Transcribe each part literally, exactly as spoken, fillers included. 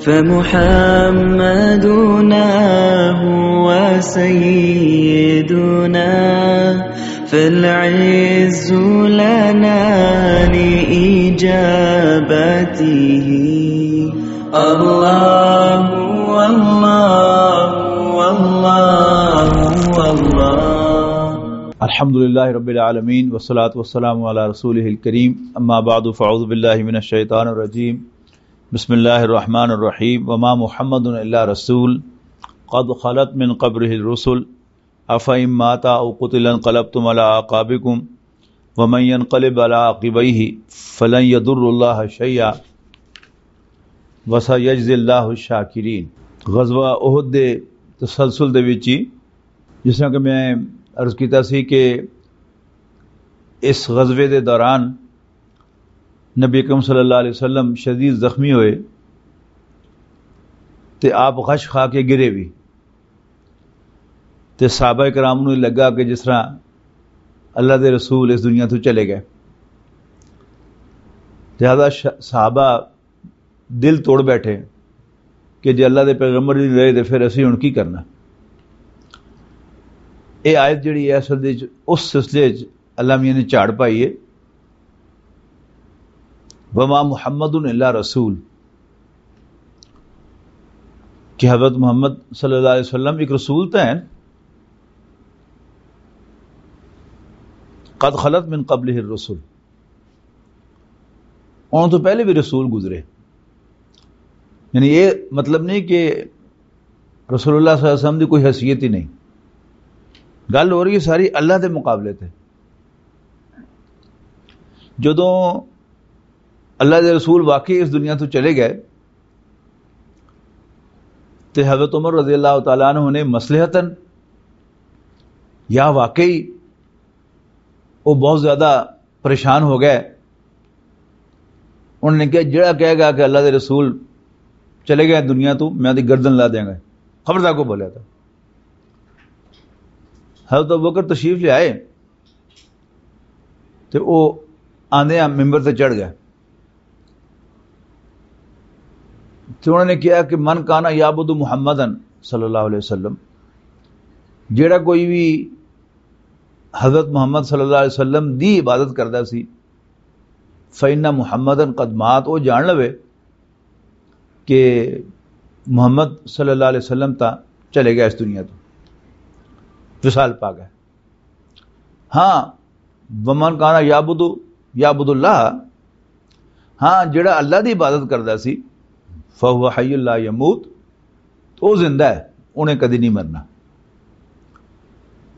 فمحمدنا هو سيدنا، فالعز لنا لإجابته. الله، الله، الله، الله. الحمد لله رب العالمين، والصلاة والسلام على رسوله الكريم. أما بعد، فأعوذ بالله من الشيطان الرجيم. بسم الله الرحمن الرحيم. وما محمد إلا رسول قد خلت من قبله الرسل، أفإن مات أو قتل انقلبتم على أعقابكم، ومن ينقلب على عقبيه فلن يضر الله شيئا، وسيجزي الله الشاكرين. غزوہ احد دے تسلسل دے وچ ہی، جس طرح کہ میں عرض کیتا سی کہ اس غزوے دے دوران نبی اکرم صلی اللہ علیہ وسلم شدید زخمی ہوئے تے آپ غش کھا کے گرے بھی، تے صحابہ کرام نوں لگا کہ جس طرح اللہ دے رسول اس دنیا تو چلے گئے۔ لہذا ش-، صحابہ دل توڑ بیٹھے کہ جے اللہ دے پیغمبر نہیں رہے تے پھر اسی ہن کی کرنا۔ اے آیت جڑی ہے اصل دے وچ اس سلسلے وچ اللہ میاں نے جھاڑ پائی ہے، وما محمد الا رسول، کہ حضرت محمد صلی اللہ علیہ وسلم ایک رسول تو ہیں، قد خلت من قبلہ الرسل، ان تو پہلے بھی رسول گزرے۔ یعنی یہ مطلب نہیں کہ رسول اللہ صلی اللہ علیہ وسلم دی کوئی حیثیت ہی نہیں۔ گل ہو رہی ہے ساری اللہ دے مقابلے تے۔ جدوں اللہ دے رسول واقعی اس دنیا تو چلے گئے تے حضرت عمر رضی اللہ تعالیٰ عنہ نے مصلحتاً یا واقعی وہ بہت زیادہ پریشان ہو گئے۔ انہوں نے کہا، "جڑا کہے گا کہ اللہ دے رسول چلے گئے دنیا تو، میں دی گردن لا دیاں گا، خبردار کو بولیا تھا۔" حضرت ابوبکر تشریف لے آئے تے وہ آندے ممبر تے چڑھ گئے۔ تے انہوں نے کہا کہ من کانا یعبد محمدن صلی اللہ علیہ وسلم، جیڑا کوئی بھی حضرت محمد صلی اللہ علیہ وسلم دی عبادت کردا سی، فإن محمدن قد مات، وہ جان لوے کہ محمد صلی اللہ علیہ وسلم تا چلے گیا اس دنیا تو، وصال پا گیا۔ ہاں، ومن کانا یعبد، یعبد اللہ، ہاں، جڑا اللہ دی عبادت کردا سی، فہو حی لا یموت، تو وہ زندہ ہے، انہیں کدی نہیں مرنا۔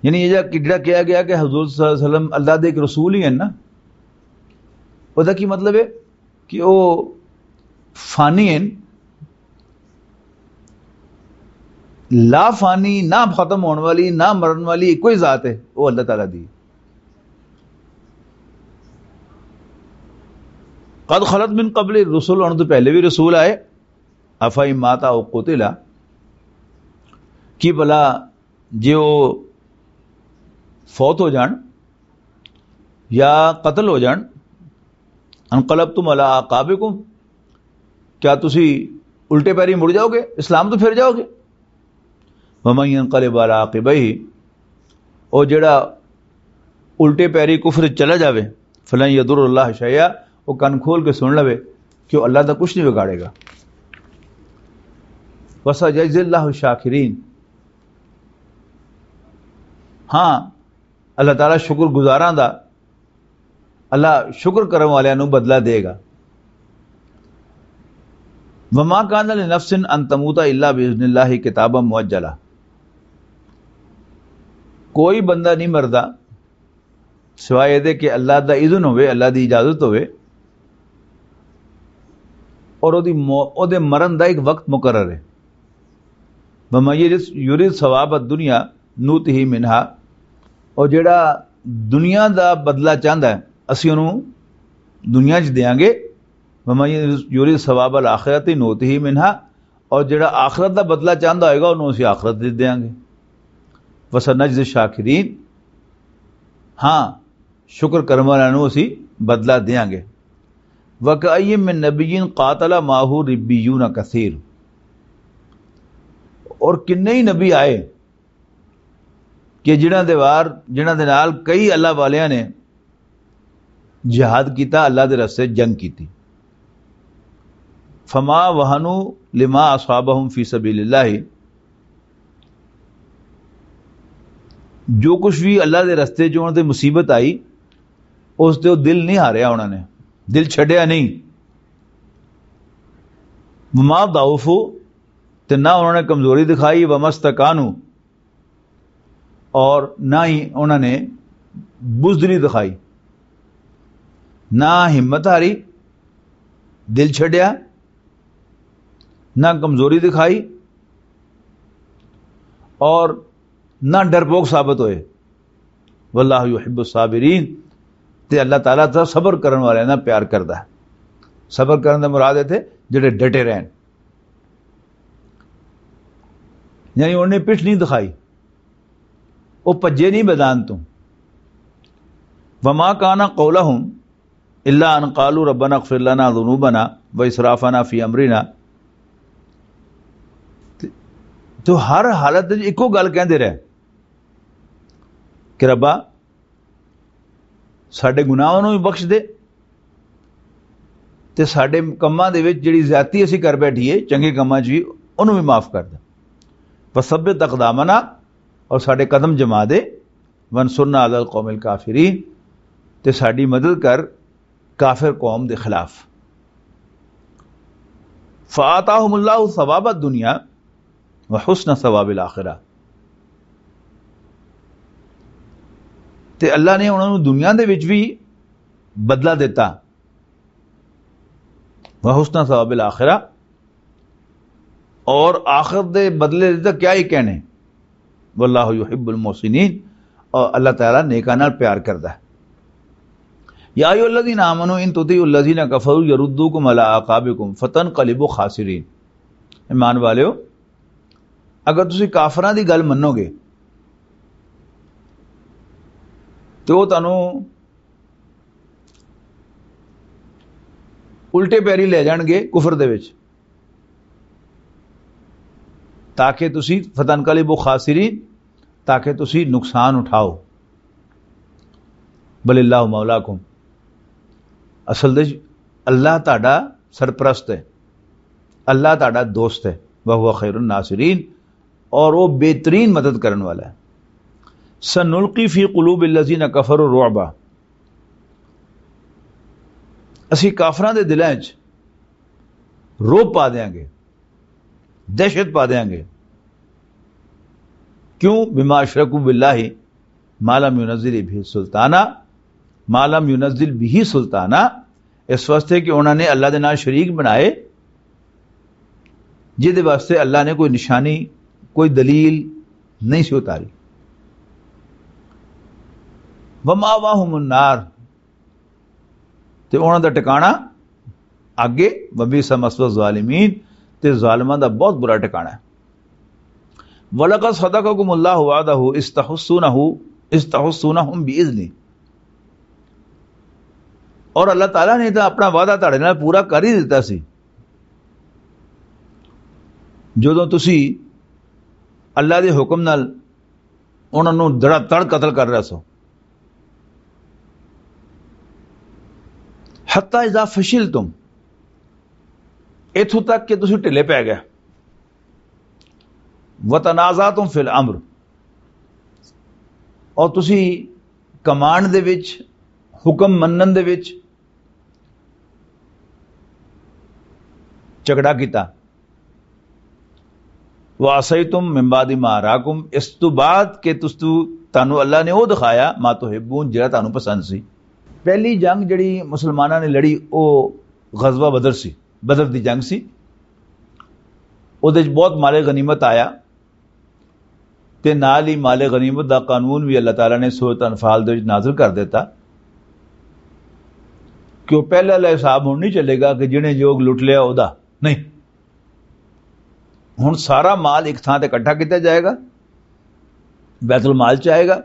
یعنی یہ جا-، جڑا کہا گیا کہ حضور صلی اللہ علیہ وسلم اللہ دے ایک رسول ہی ہیں نا، وہ کی مطلب ہے کہ وہ فانی ہیں، لا فانی، نہ ختم ہون والی، نہ مرن والی کوئی ذات ہے، وہ اللہ تعالیٰ دی۔ قد خلت من قبل الرسل، ان تو پہلے بھی رسول آئے۔ افا ماتا او قتلا، کی بھلا جے وہ فوت ہو جان یا قتل ہو جان، انقلبتم علی اعقابکم، کیا تسی الٹے پیری مڑ جاؤ گے، اسلام تو پھر جاؤ گے؟ ومن ينقلب على عقبيه، او جڑا الٹے پیری کفر چلا جاوے، فلن يضر الله شيئا، او کن کھول کے سن لوے کہ او اللہ دا کچھ نہیں بگاڑے گا۔ وسيجزي الله الشاكرين، ہاں، اللہ تعالیٰ شکر گزاراں دا، اللہ شکر کرن والیاں نوں بدلہ دے گا۔ وما كان لنفس ان تموت الا باذن الله كتابا مؤجلا، کوئی بندہ نہیں مردا سوائے دے کہ اللہ دا اذن ہوئے، اللہ دی اجازت ہوئے، اور او دی مو-، او دے مرن دا ایک وقت مقرر ہے۔ ومن یرد، یرد ثواب الدنیا نوتہ منہا، اور جڑا دنیا دا بدلہ چاہندا ہے، اسی انہوں دنیا چ دیاں گے۔ ومن یرد ثواب الآخرۃ نوتہ منہا، اور جڑا آخرت دا بدلہ چاہندا ہوئے گا، انہوں اسی آخرت دے دیاں گے۔ وسنجزی الشاکرین، ہاں، شکر کرن والوں نوں اسی بدلہ دیاں گے۔ وَكَأَيِّن مِّن نَّبِيٍّ قَاتَلَ مَعَهُ رِبِّيُّونَ كَثِيرٌ، اور کنے ہی نبی آئے کہ جنہاں دے وار، جنہاں دے نال کئی اللہ والیاں نے جہاد کیتا، اللہ دے رستے جنگ کیتی۔ فما وہنوا لما اصابہم فی سبیل اللہ، جو کچھ بھی اللہ دے رستے چ انہاں تے مصیبت آئی، اس تے او دل نہیں ہاریا انہاں نے، دل چھڈیا نہیں۔ وما ضعفوا، تے نہ انہاں نے کمزوری دکھائی، وما استکانوا، اور نہ ہی انہاں نے بزدلی دکھائی، نہ ہمت ہاری، دل چھڈیا، نہ کمزوری دکھائی، اور نہ ڈرپوک ثابت ہوئے۔ واللہ یحب الصابرین، تے اللہ تعالیٰ تا صبر کرن والے نال پیار کردا ہے۔ صبر کرن دا مراد ہے تے جڑے ڈٹے رہن، یعنی انہوں نے پٹھ نہیں دکھائی، وہ پجے نہیں میدان تو۔ وما کان قولہم الا ان قالوا ربنا اغفر لنا ذنوبنا واسرافنا فی امرنا۔ تو ہر حالت وچ اکو گل کہندے رہے کہ ربا، ساڈے گناہاں نوں بھی بخش دے، تے ساڈے کماں دے وچ جڑی زیادتی اسی کر بیٹھیے چنگے کماں چ بھی، انہوں بھی معاف کر دے۔ وثبت اقدامنا، اور ساڈے قدم جما دے۔ وانصرنا علی القوم الکافرین، تے ساڈی مدد کر کافر قوم دے خلاف۔ فآتاہم اللہ ثواب الدنیا وحسن ثواب الآخرہ، تے اللہ نے انہاں نوں دنیا دے وچ بھی بدلہ دتا، وحسن ثواب الآخرہ، اور آخرت دے بدلے دے تاں کیا ہی کہنے۔ واللہ یحب المحسنین، اور اللہ تعالیٰ نیکاں نال پیار کردا ہے۔ یا ایھا الذین آمنوا ان تطیعوا الذین کفروا یردوکم علی اعقابکم فتنقلبوا خاسرین۔ ایمان والیو، اگر تسی کافراں دی گل منو گے تے او تانوں الٹے پیری لے جان گے کفر دے وچ، تاکہ تسی فتنقلبوا خاسرین، تاکہ تسی نقصان اٹھاؤ۔ بل اللہ مولاکم، اصل دے اللہ تہاڈا سرپرست ہے، اللہ تہاڈا دوست ہے، وہو خیر الناصرین، اور وہ بہترین مدد کرن والا ہے۔ سنلقی فی قلوب الذین کفروا الرعب، اسی کافراں دے دلاں وچ رعب پا دیاں گے، دہشت پا دیاں گے۔ کیوں؟ بما اشرکوا باللہ ما لم ینزل بہ سلطانا، ما لم ینزل بہ سلطانا، اس واسطے کہ انہوں نے اللہ دے نال شریک بنائے، جس دے واسطے اللہ نے کوئی نشانی، کوئی دلیل نہیں سی اتاری۔ ومأواہم النار، تے انہاں دا ٹھکانہ اگے، وبئس مثوی الظالمین، تے ظالماں دا بہت برا ٹھکانہ ہے۔ وَلَقَدْ صَدَقَكُمُ اللَّهُ وَعْدَهُ إِذْ تَحُسُّونَهُ، إِذْ تَحُسُّونَهُمْ بِإِذْنِهِ، اور اللہ تعالیٰ نے تو اپنا وعدہ تہاڈے نال پورا کر ہی دتا سی، جدوں تسی اللہ دے حکم نال انہاں نوں دڑا تڑ قتل کر رہے سو۔ حتی اذا فشلتم، اتھوں تک کہ تسی ڈھلے پے گئے، وتنازعتم فی الامر، اور تسی کمانڈ دے وچ، حکم منن دے وچ جھگڑا کیتا۔ وَعَصَيْتُم مِّن بَعْدِ مَا أَرَاكُمْ، اس تو بعد کہ تس تو، تانوں اللہ نے وہ دکھایا، مَا تُحِبُّونَ، جڑا تانوں پسند سی۔ پہلی جنگ جڑی مسلماناں نے لڑی، وہ غزوہ بدر سی، بدر دی جنگ سی۔ اودے وچ بہت مال غنیمت آیا، تے نال ہی مال غنیمت دا قانون بھی اللہ تعالیٰ نے سورۃ انفال دے وچ نازل کر دیتا کہ وہ پہلے والا حساب ہن نہیں چلے گا کہ جنہیں جو لٹ لیا، او دا نہیں۔ ہن سارا مال ایک تھاں تے اکٹھا کیتا جائے گا، بیت المال چ آئے گا،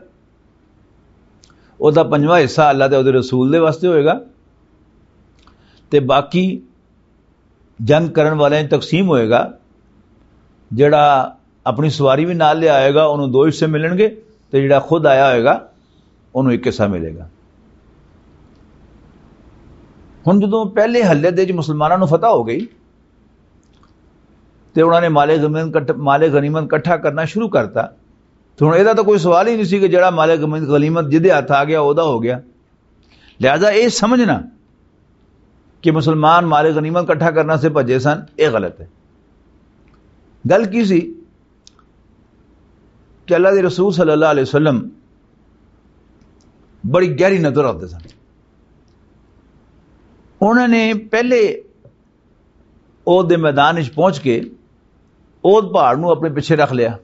او دا پنجواں حصہ اللہ تے او دے رسول دے واسطے ہوئے گا، تے باقی جنگ کرن والے تقسیم ہوئے گا۔ جڑا اپنی سواری بھی نال لے آئے گا، انہوں دو حصے ملن گے، تے جڑا خود آیا ہوئے گا، انہوں ایک حصہ ملے گا۔ ہن جدوں پہلے حلے دے وچ مسلماناں نوں فتح ہو گئی، تے انہاں نے مال غنیمت کٹھ-، مال غنیمت اکٹھا کرنا شروع کرتا، تے ہن ایہدا تاں کوئی سوال ہی نہیں سی کہ جڑا مال غنیمت جدے ہاتھ آ گیا، اوہدا ہو گیا۔ لہذا یہ سمجھنا کہ مسلمان مال غنیمت اکٹھا کرنا سے بھجے سن، یہ غلط ہے۔ گل کی سی کہ اللہ دے رسول صلی اللہ علیہ وسلم بڑی گہری نظر رکھتے سن۔ انہوں نے پہلے عہد دے میدان وچ پہنچ کے عہد پہاڑ نو اپنے پیچھے رکھ لیا،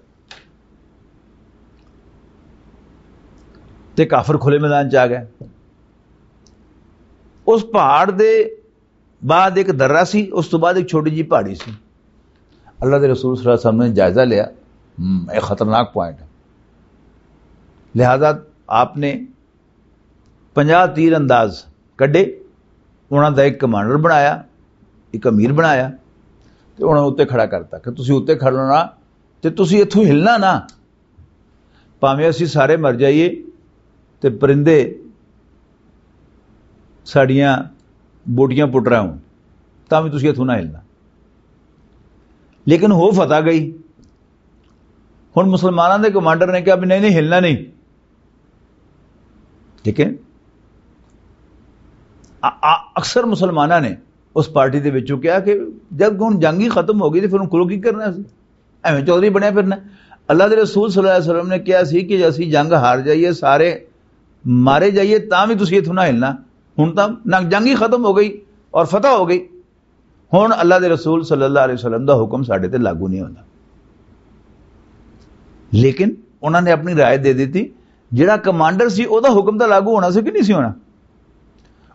تے کافر کھلے میدان چ آ گئے۔ اس پہاڑ دے بعد ایک درہ سی، اس تو بعد ایک چھوٹی جی پہاڑی سی۔ اللہ دے رسول صلی اللہ علیہ وسلم نے جائزہ لیا، ہم، یہ خطرناک پوائنٹ ہے۔ لہذا آپ نے پنجاہ تیر انداز کڈے، انہاں دا ایک کمانڈر بنایا، ایک امیر بنایا، تے انہاں اتنے کھڑا کرتا کہ تسی اتنے کھڑنا تے تسی اتھوں ہلنا نہ، پاویں اسی سارے مر جائیے تے پرندے ساڈیاں بوٹیاں پٹ رہے ہون، تاں بھی تسی اتھوں نہ ہلنا۔ لیکن ہو فتح گئی۔ ہن مسلماناں دے کمانڈر نے کہا بھی نہیں، نہیں، ہلنا نہیں۔ ٹھیک ہے؟ آ-، آ-، اکثر مسلماناں نے اس پارٹی دے وچوں کہا کہ جب ہن جنگ ہی ختم ہو گئی تے پھر ہن کلو کی کرنا سی؟ ایویں چودھری بنیا پھرنا۔ اللہ دے رسول صلی اللہ علیہ وسلم نے کہا سی کہ اسی جنگ ہار جائیے، سارے مارے جائیے، تاں بھی تسی اتھوں نہ ہلنا۔ ہن تاں نہ، جنگ ہی ختم ہو گئی اور فتح ہو گئی۔ ہن اللہ دے رسول صلی اللہ علیہ وسلم دا حکم ساڈے تے لاگو نہیں ہوندا۔ لیکن انہاں نے اپنی رائے دے دتی، جڑا کمانڈر سی، او دا حکم تاں لاگو ہونا سی کہ نہیں سی ہونا؟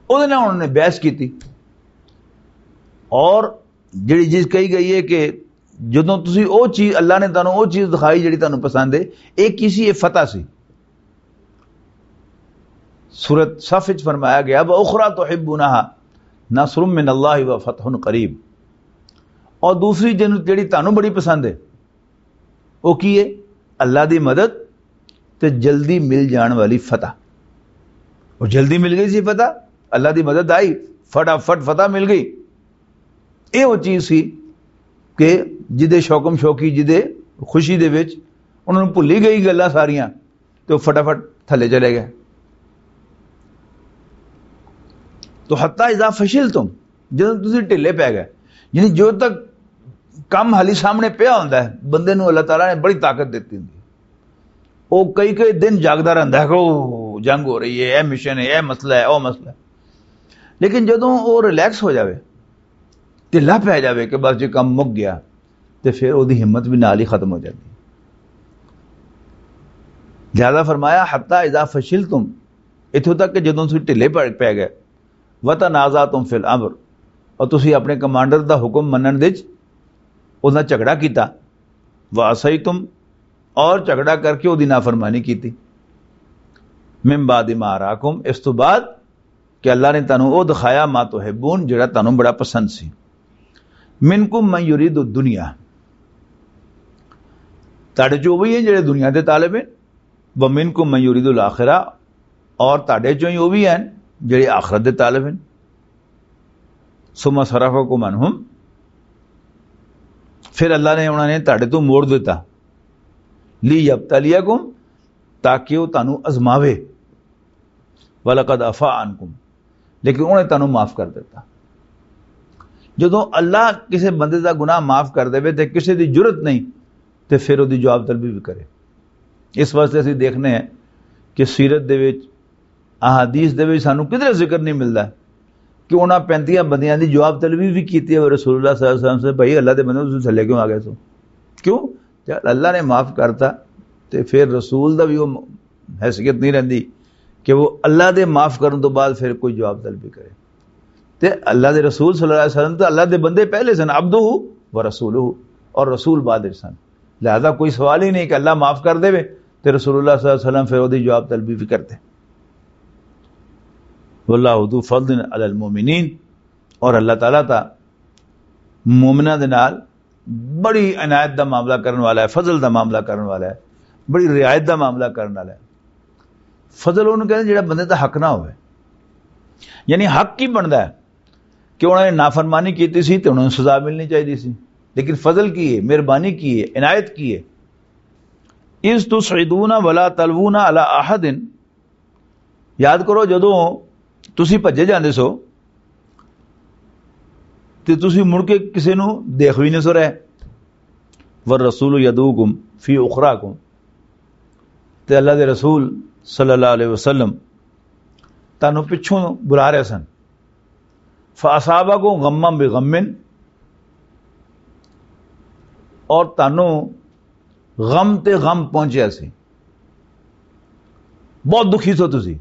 او دے نال انہاں نے بحث کیتی۔ اور جڑی چیز کہی گئی ہے کہ جدوں تسی او چیز، اللہ نے تانوں او چیز دکھائی جڑی تانوں پسند ہے، ایک کی سی؟ یہ فتح سی۔ سورت صف وچ فرمایا گیا، "وَأُخْرَىٰ تُحِبُّونَهَا نَصْرٌ مِّنَ اللَّهِ وَفَتْحٌ قَرِيبٌ۔" اور دوسری جن-، جڑی تانوں بڑی پسند ہے، وہ کی ہے؟ اللہ دی مدد تے جلدی مل جان والی فتح۔ وہ جلدی مل گئی سی فتح، اللہ دی مدد آئی، فٹافٹ فتح مل گئی۔ یہ وہ چیز سی کہ جدے شوکم شوکی، جدے خوشی دے وچ انہاں نوں بھلی گئی گلاں ساریاں، تے وہ فٹافٹ تھلے چلے گئے۔ تو حتی اذا فشلتم، جدوں تسی ڈھلے پے گئے، یعنی جو تک کم حالی سامنے پیا ہوندا ہے، بندے نوں اللہ تعالیٰ نے بڑی طاقت دتی ہوندی ہے۔ وہ کئی کئی دن جاگدا رہندا ہے کہ او جنگ ہو رہی ہے، اے مشن ہے، اے مسئلہ ہے، او مسئلہ ہے۔ لیکن جدوں وہ ریلیکس ہو جاوے، ڈھلا پے جاوے کہ بس جی کم مک گیا، تے پھر وہ ہمت بھی نال ہی ختم ہو جاتی۔ زیادہ فرمایا، "حتی اذا فشلتم"، اتھوں تک کہ جدوں تسی ڈھلے پے، پے گئے، "وتنازعتم فی الامر"، اور تسی اپنے کمانڈر دا حکم منن دے وچ انہاں جھگڑا کیتا، "وعصیتم"، اور جھگڑا کر کے وہ نافرمانی کیتی، "من بعد ما اراکم"، اس تو بعد کہ اللہ نے تانوں او دکھایا، "ما تحبون"، جڑا تانوں بڑا پسند سی۔ "منکم من یرید الدنیا"، تہاڈے چوں وہی ہیں جڑے دنیا دے طالب ہیں، "ومنکم من یرید الآخرہ"، اور تہاڈے چوں ہی وہ بھی ہیں جڑے آخرت دے طالب ہیں۔ "ثم صرفکم عنہم"، پھر اللہ نے انہاں نے تہاڈے تو موڑ دیتا، "لیبتلیکم"، تاکہ وہ تانوں ازماوے، "ولقد عفا عنکم"، لیکن انہوں نے تانوں معاف کر دیتا۔ جدوں اللہ کسے بندے دا گناہ معاف کر دے تے کسے دی جرت نہیں، تے پھر وہ دی جواب طلبی بھی کرے۔ اس واسطے اسی دیکھنے ہیں کہ سیرت دے وچ، احادیث دے وچ سانوں کدھر ذکر نہیں ملدا کہ انہاں پینتیاں بندیاں دی جواب طلبی بھی کیتی ہے رسول اللہ صلی اللہ علیہ وسلم سے، "بھائی، اللہ دے بندے، تسی تھلے کیوں آ گئے سو؟" کیوں؟ جب اللہ نے معاف کرتا، تے پھر رسول دا بھی وہ حیثیت نہیں رہندی کہ وہ اللہ دے معاف کرن تو بعد پھر کوئی جواب طلبی کرے۔ تے اللہ دے رسول صلی اللہ علیہ وسلم تو اللہ دے بندے پہلے سن، عبدہ و رسولہ، اور رسول بعد وچ سن۔ لہذا کوئی سوال ہی نہیں کہ اللہ معاف کر دے تے رسول اللہ صلی اللہ علیہ وسلم پھر وہ دی جواب طلبی بھی کرتے۔ واللہ ذو فضل علی المؤمنین، اور اللہ تعالیٰ تا مومنہ دے نال بڑی عنایت دا معاملہ کرن والا ہے، فضل دا معاملہ کرن والا ہے، بڑی رعایت دا معاملہ کرن والا ہے۔ فضل انہوں کہندے جڑا بندے دا حق نہ ہوئے، یعنی حق کی بندا ہے کہ انہوں نے نافرمانی کیتی سی تے انہوں نے سزا ملنی چاہیے سی، لیکن فضل کی ہے، مہربانی کی ہے، عنایت کی ہے؟ اذ تصعدون ولا تلوون علی احد، یاد کرو جدوں تسی بھجے جاندے سو تے تسی مڑ کے کسے نوں دیکھ وی نہیں سو رہے۔ والرسول یدعوکم فی اخراکم، تے اللہ دے رسول صلی اللہ علیہ وسلم تانوں پچھوں بلا رہے سن۔ فاصابکم غما بغم، اور تانوں غم تے غم پہنچیا سی، بہت دکھی سو تسی۔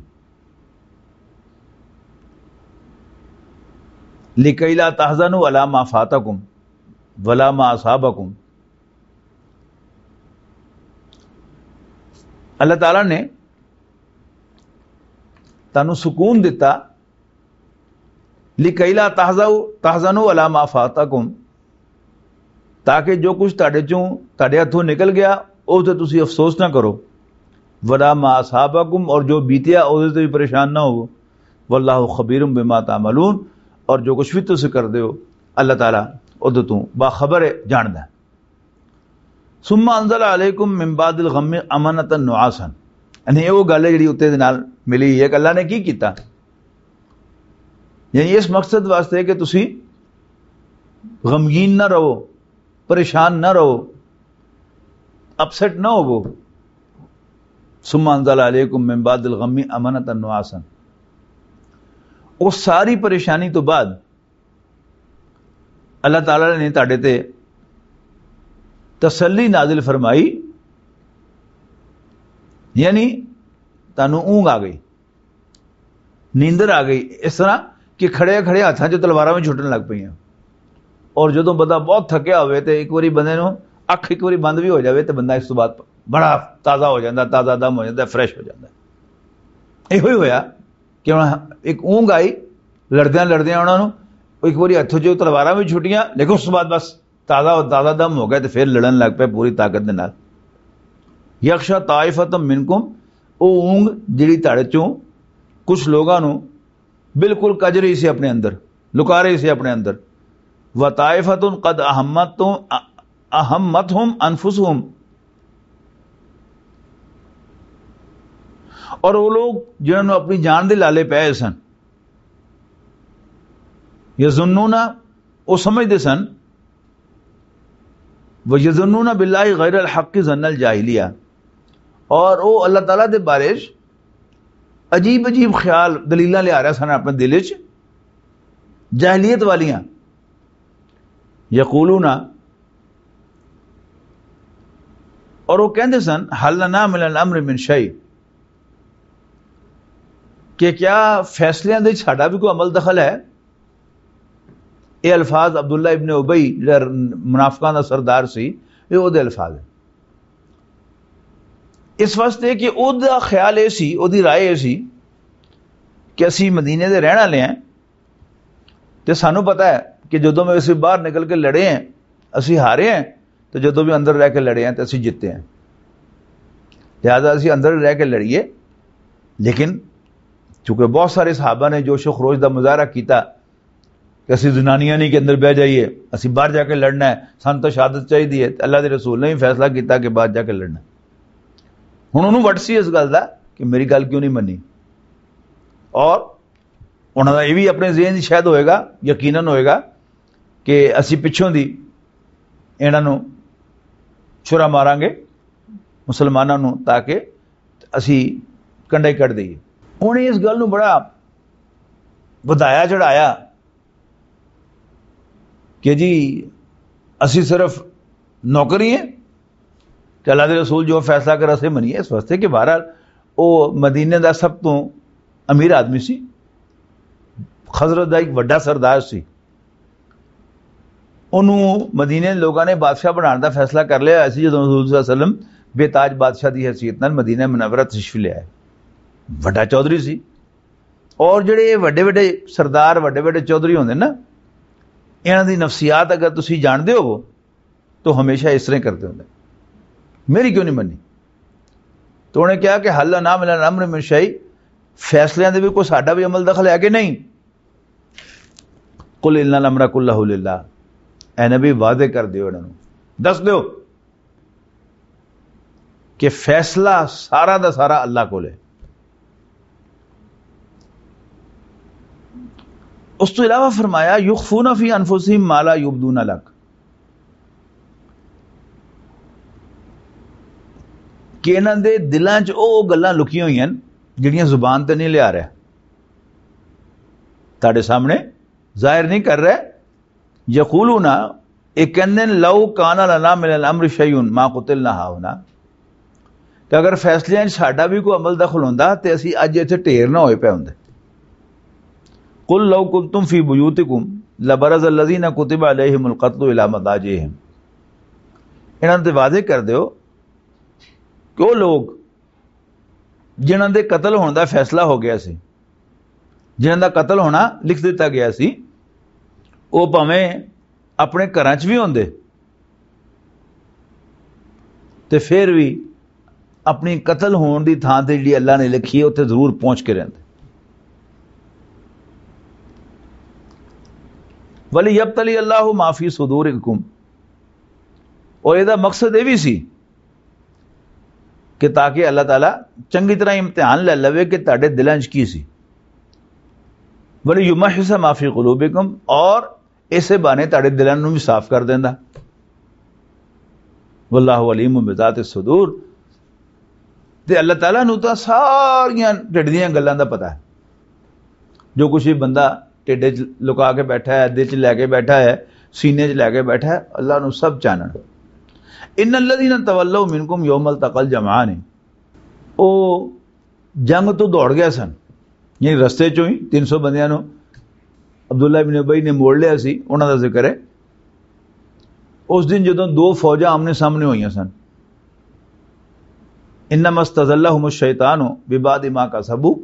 لکئی لا تحزنوا علی ما فاتکم ولا ما اصابکم، اللہ تعالیٰ نے تانوں سکون دتا، لکئی لا تحزنوا علی ما فاتکم، تاکہ جو کچھ تہاڈے چوں، تہاڈے ہتھوں نکل گیا، او تے تسی افسوس نہ کرو۔ ولا ما اصابکم، اور جو بیتیا، او تے بھی پریشان نہ ہو۔ واللہ خبیر بما تعملون، اور جو کچھ بھی تسی کردے ہو، اللہ تعالیٰ اودے توں باخبر ہے، جاندا ہے۔ ثم انزل علیکم من بعد الغم امنة نعاسا۔ یعنی یہ وہ گل ہے جڑی اتنے دے نال ملی ہوئی ہے کہ اللہ نے کی کیتا۔ یعنی اس مقصد واسطے کہ تسی غمگین نہ رہو، پریشان نہ رہو، اپسیٹ نہ ہوو۔ ثم انزل علیکم من بعد الغم امنة نعاسا۔ اس ساری پریشانی تو بعد اللہ تعالیٰ نے تہاڈے تے تسلی نازل فرمائی، یعنی تانوں اونگ آ گئی، نیندر آ گئی، اس طرح کہ کھڑے کھڑے ہاتھاں چ تلواراں بھی چھٹن لگ پئیاں۔ اور جدوں بندہ بہت تھکیا ہوئے تے ایک واری بندے نوں اکھ ایک واری بند بھی ہو جاوے تے بندہ اس تو بعد بڑا تازہ ہو جاندا، تازہ دم ہو جاندا، فریش ہو جاندا۔ ایہو ہی ہویا۔ کہ ہن ایک اونگ آئی، لڑدیاں لڑدیاں انہاں نوں ایک واری ہتھوں جو تلواراں وی چھٹیاں، لیکن اس بعد بس تازہ تازہ دم ہو گیا تے پھر لڑن لگ پئے پوری طاقت دے نال۔ یغشی طائفۃ منکم، او اونگ جڑی تہاڈے چوں کچھ لوگاں نوں بالکل کج رہی سی اپنے اندر، لکا رہی سی اپنے اندر۔ وطائفۃ قد اہمتہم، اہمتہم انفسہم، اور وہ لوگ جنہاں نوں اپنی جان دے لالے پے سن، یظنون، وہ سمجھدے سن، وہ یظنون باللہ غیر الحق ظن الجاہلیہ، اور وہ اللہ تعالیٰ دے بارے چ عجیب عجیب خیال دلیلاں لے آ رہے سن اپنے دل چ، جاہلیت والیاں۔ یقولون، اور وہ کہندے سن، حل لنا من الامر من شیء، کہ کیا فیصلیاں دے ساڈا بھی کوئی عمل دخل ہے؟ یہ الفاظ عبداللہ ابن ابی جڑا منافقاں دا سردار سی، یہ وہ دے الفاظ ہیں۔ اس واسطے کہ او دا خیال یہ سی، او دی رائے یہ سی کہ اسی مدینے دے رہن والے ہیں، تے سانوں پتہ ہے کہ جدوں میں اسی باہر نکل کے لڑے ہیں، اسی ہارے ہیں، تے جدوں بھی اندر رہ کے لڑے ہیں تے اسی جیتے ہیں۔ لہذا اسی اندر رہ کے لڑیے۔ لیکن چونکہ بہت سارے صحابہ نے جوش و خروش دا مظاہرہ کیتا کہ اسی زنانیاں نہیں کہ اندر بہ جائیے، اسی باہر جا کے لڑنا ہے، سانوں تو شہادت چاہیے ہے، تے اللہ دے رسول نے بھی فیصلہ کیتا کہ باہر جا کے لڑنا ہے۔ ہن انہوں وٹ سی اس گل دا کہ میری گل کیوں نہیں منی، اور انہاں دا یہ بھی اپنے ذہن 'چ شاید ہوئے گا، یقیناً ہوئے گا کہ اسی پچھوں دی انہاں نوں چھرا ماراں گے مسلماناں نوں، تاکہ اسی کنڈا ہی کڈ دئیے۔ انہیں اس گل نوں بڑا ودھایا چڑھایا کہ جی، اسی صرف نوکر ہی ہیں کہ اللہ دے رسول جو فیصلہ کر اسے منیے، اس واسطے کہ بہرحال وہ مدینے دا سب تو امیر آدمی سی، خزرج دا ایک وڈا سردار سی۔ انہوں مدینے دے لوگاں نے بادشاہ بنان دا فیصلہ کر لیا سی، جدوں رسول صلی اللہ علیہ وسلم بے تاج بادشاہ دی حیثیت نال مدینہ منورہ تشریف لے آئے۔ وڈا چودھری سی۔ اور جڑے یہ وڈے وڈے سردار، وڈے وڈے چودھری ہوندے نا، انہاں دی نفسیات اگر تسی جاندے ہو، تو ہمیشہ اس طرح کرتے ہوندے، میری کیوں نہیں مننی؟ تو انہیں کہا کہ حل لنا من الامر من شیء، فیصلیاں دے بھی کوئی ساڈا بھی عمل دخل ہے کہ نہیں؟ قل ان الامر کلہ للہ، اے نبی واضح کر دیو انہاں نوں، دس دیو کہ فیصلہ سارا دا سارا اللہ کول ہے۔ اس تو علاوہ فرمایا، یخفون فی انفسہم ما لا یبدون لک، کہ انہاں دے دلاں 'چ او گلاں لکیاں ہوئیاں ہن جڑیاں زبان تے نہیں لیا رہے، تہاڈے سامنے ظاہر نہیں کر رہے۔ یقولون، یہ کہندے نے، لو کان لنا من الامر شیء ما قتلنا ہاہنا، کہ اگر فیصلیاں 'چ ساڈا بھی کوئی عمل دخل ہوندا تے اسی اج اتھے ڈھیر نہ ہوئے پے ہوندے۔ قل لو کنتم فی بیوتکم لبرز الذین کتب علیہم القتل الی مضاجعہم، انہاں تے واضح کر دیو کہ وہ لوگ جنہاں دے قتل ہون دا فیصلہ ہو گیا سی، جنہاں دا قتل ہونا لکھ دتا گیا سی، وہ بھاویں اپنے گھراں چ بھی ہوندے تے پھر بھی اپنی قتل ہون دی تھاں تے جڑی اللہ نے لکھی ہے، اتھے ضرور پہنچ کے رہندے۔ وَلِيَبْتَلِيَ اللَّهُ مَا فِي صُدُورِكُمْ، اور یہ دا مقصد یہ بھی سی کہ تاکہ اللہ تعالیٰ چنگی طرح امتحان لے لوے کہ تہاڈے دلاں 'چ کی سی۔ وَلِيُمَحِّصَ مَا فِي قُلُوبِكُمْ، اور اسے بہانے تہاڈے دلاں نوں بھی صاف کر دیندا۔ واللہ علیم بذات الصدور۔ تے اللہ تعالیٰ نوں تاں ساریاں ڈڈ دیاں گلاں دا پتہ ہے۔ جو کچھ بھی بندہ ڈڈ وچ لکا کے بیٹھا ہے، دل چ لے کے بیٹھا ہے، سینے چ لے کے بیٹھا ہے، اللہ نوں سب چانن۔ ان الذین تولوا منکم یوم التقى الجمعان، او جنگ تو دوڑ گئے سن، یعنی رستے چوں ہی تین سو بندیاں نوں عبداللہ ابن ابی نے موڑ لیا سی، انہاں دا ذکر ہے۔ اس دن جدوں دو فوجاں آمنے سامنے ہوئیاں سن، انما استزلهم الشیطان ببعض ما کسبوا،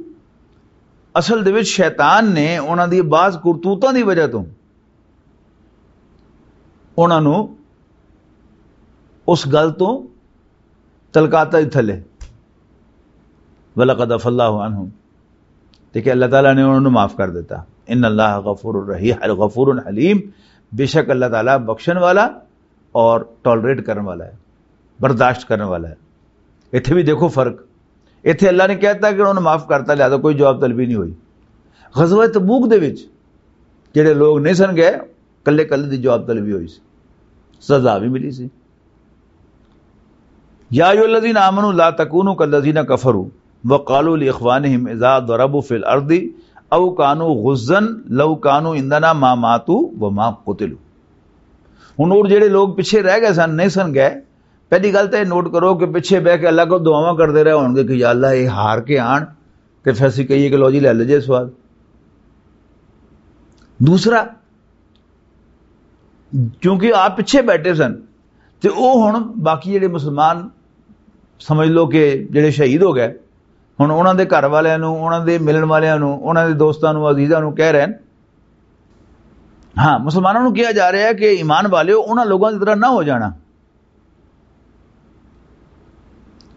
اصل دے وچ شیطان نے انہاں دی بعض کرتوتاں دی وجہ تو انہاں نوں اس گل تو تلکاتا ہی تھلے۔ وَلَقَدْ عَفَا اللَّهُ عَنْهُمْ، تے کہ اللہ تعالیٰ نے انہوں نے معاف کر دیتا۔ ان اللہ غفور الرحیم، غفور حلیم، بے شک اللہ تعالیٰ بخشن والا اور ٹالریٹ کرنے والا ہے، برداشت کرنے والا ہے۔ اتھے بھی دیکھو فرق، اتھے اللہ نے کہتا کہ انہوں نے معاف کرتا، لہذا کوئی جواب طلبی نہیں ہوئی۔ غزوہ تبوک دے وچ جڑے لوگ نہیں سن گئے، کلے کلے دی جواب طلبی ہوئی سی، سزا بھی ملی سی۔ یا ایھا الذین آمنوا لا تکونوا کالذین کفروا وقالوا لاخوانہم اذا ضربوا فی الارض او کانوا غزا لو کانوا عندنا ما ماتوا وما قتلوا۔ ہن اور جڑے لوگ پیچھے رہ گئے سن، نہیں سن گئے، پہلی گل تے نوٹ کرو کہ پیچھے بہ کے اللہ کو دعاواں کردے رہے ہون گے کہ یا اللہ، یہ ہار کے آن تے پھر اسی کہیے کہ لو جی، لے لے جے سواد۔ دوسرا، کیونکہ آپ پیچھے بیٹھے سن، تے او ہن باقی جڑے مسلمان، سمجھ لو کہ جڑے شہید ہو گئے، ہن انہاں دے گھر والیاں نوں، انہاں دے ملن والیاں نوں، انہاں دے دوستاں نوں، عزیزاں نوں کہہ رہے ہیں۔ ہاں، مسلمانوں نوں کہا جا رہا ہے کہ ایمان والیو، انہاں لوگوں کی طرح نہ ہو جانا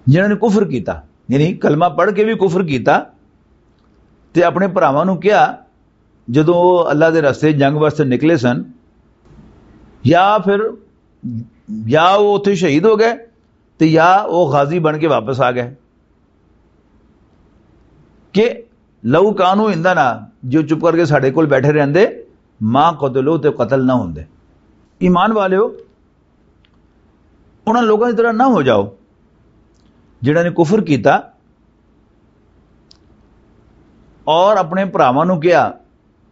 جنہاں نے کفر کیتا، یعنی کلمہ پڑھ کے بھی کفر کیتا، تے اپنے بھراواں نوں کہا، جدوں وہ اللہ دے راستے جنگ واسطے نکلے سن، یا پھر، یا وہ اتھے شہید ہو گئے، تے یا وہ غازی بن کے واپس آ گئے، کہ لو کانو عندنا، جو چپ کر کے ساڈے کول بیٹھے رہندے، ما قتلو، تے قتل نہ ہوندے۔ ایمان والیو، انہاں لوگاں دی طرح نہ ہو جاؤ جنہاں نے کفر کیتا اور اپنے بھراواں نوں کہا،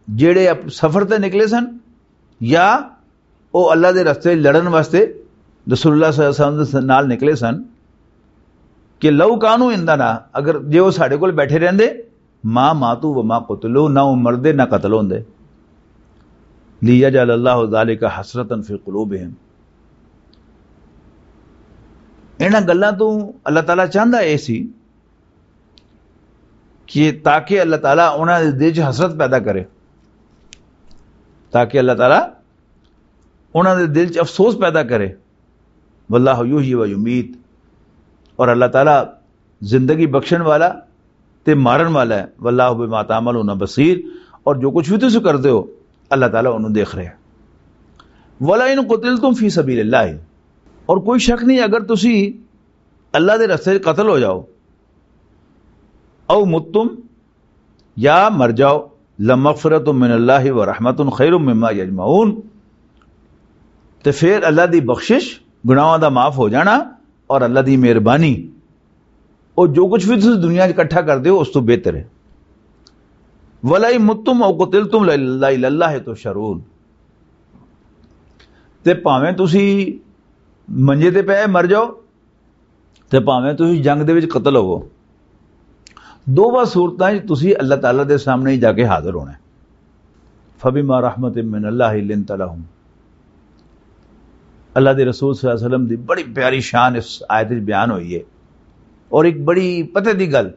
جڑے اپ-، سفر تے نکلے سن یا او اللہ دے رستے لڑن واسطے رسول اللہ صلی اللہ علیہ وسلم دے نال نکلے سن، کہ لو کانو عندنا، اگر جے او ساڈے کول بیٹھے رہندے، ما ماتو و ما قتلو، نہ او مردے نہ قتل ہوندے۔ لیجعل اللہ ذالک حسرۃ فی قلوبہم۔ انہاں گلاں تو اللہ تعالیٰ چاہندا اے سی کہ تاکہ اللہ تعالیٰ انہاں دے دل چ حسرت پیدا کرے، تاکہ اللہ تعالیٰ انہاں دے دل چ افسوس پیدا کرے۔ واللہ یحیی و یمیت، اور اللہ تعالیٰ زندگی بخشن والا تے مارن والا ہے۔ واللہ بما تعملون بصیر، اور جو کچھ بھی تسی کردے ہو، اللہ تعالیٰ انہوں دیکھ رہے ہیں۔ ولئن قتلتم فی سبیل اللہ، اور کوئی شک نہیں، اگر تسی اللہ دے رستے وچ قتل ہو جاؤ، او متم، یا مر جاؤ، لمغفرۃ من اللہ و رحمۃ خیر مما یجمعون، تے پھر اللہ دی بخشش، گناہاں دا معاف ہو جانا، اور اللہ دی مہربانی، او جو کچھ بھی تسی دنیا 'چ اکٹھا کردے ہو، اس تو بہتر ہے۔ ولئن متم او قتلتم لإلی اللہ تحشرون، تے بھاویں تسی منجے تے پے مر جاؤ، تے بھاویں تسی جنگ دے وچ قتل ہوو، دوواں صورتاں وچ تسی اللہ تعالیٰ دے سامنے ہی جا کے حاضر ہونا ہے۔ فبما رحمت من اللہ لنت لہم۔ اللہ دے رسول صلی اللہ علیہ وسلم دی بڑی پیاری شان اس آیت وچ بیان ہوئی ہے، اور ایک بڑی پتہ دی گل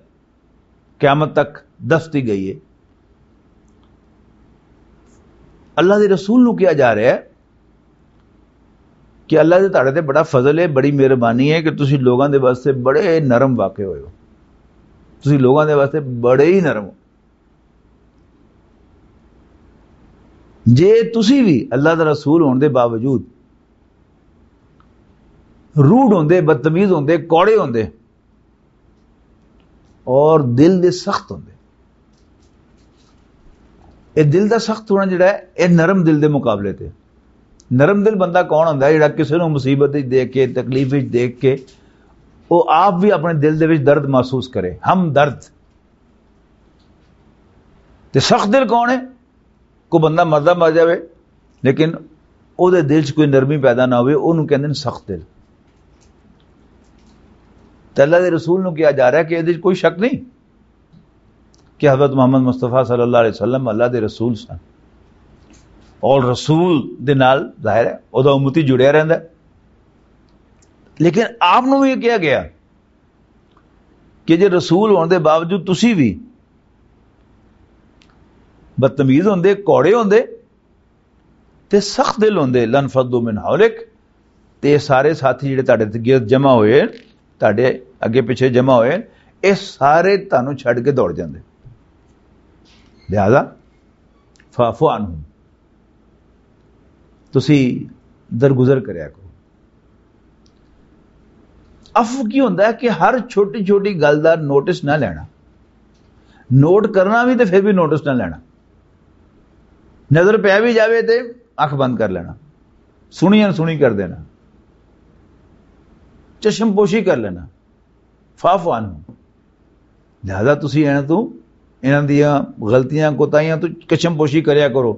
قیامت تک دستی گئی ہے۔ اللہ دے رسول نو کیا جا رہا ہے کہ اللہ دے تہاڈے تے بڑا فضل ہے، بڑی مہربانی ہے کہ تسی لوگاں دے واسطے بڑے نرم واقع ہوئے ہو، تسی لوگاں دے واسطے بڑے ہی نرم ہو۔ جے تسی بھی اللہ دا رسول ہون دے باوجود روڈ ہوندے، بدتمیز ہوندے، کوڑے ہوندے، اور دل دے سخت ہوندے۔ اے دل دا سخت ہونا جڑا ہے، اے نرم دل دے مقابلے تے۔ نرم دل بندہ کون ہوندا ہے؟ جڑا کسے نوں مصیبت وچ دیکھ کے، تکلیف وچ دیکھ کے، او آپ بھی اپنے دل دے وچ درد محسوس کرے، ہم درد۔ تے سخت دل کون ہے؟ کوئی بندہ مردہ مر جاوے، لیکن او دے دل چ کوئی نرمی پیدا نہ ہوئے، اونوں کہندے نے سخت دل۔ تے اللہ دے رسول نوں کہا جا رہا ہے کہ ادے وچ کوئی شک نہیں کہ حضرت محمد مصطفیٰ صلی اللہ علیہ وسلم اللہ دے رسول سن، اور رسول دے نال ظاہر ہے او دا امتی جڑیا رہندا ہے۔ لیکن آپ نوں بھی یہ کہا گیا کہ جے رسول ہون دے باوجود تسی بھی بدتمیز ہوندے، کوڑے ہوندے، تے سخت دل ہوندے، لن فضوا من حولک، تے یہ سارے ساتھی جڑے تہاڈے تے گرد جمع ہوئے، تہاڈے اگے پیچھے جمع ہوئے، یہ سارے تانوں چھڈ کے دوڑ جاندے۔ لہذا فاعف عنہم، تسی درگزر کریا کرو۔ عفو کی ہوندا ہے کہ ہر چھوٹی چھوٹی گل دا نوٹس نہ لینا، نوٹ کرنا بھی تے پھر بھی نوٹس نہ لینا۔ نظر پہ بھی جاوے تے اکھ بند کر لینا، سنی ان سنی کر دینا، چشم پوشی کر لینا۔ فاعف عنہم۔ لہذا تسی انہاں تو، انہاں دیاں غلطیاں، کوتاہیاں تو چشم پوشی کریا کرو،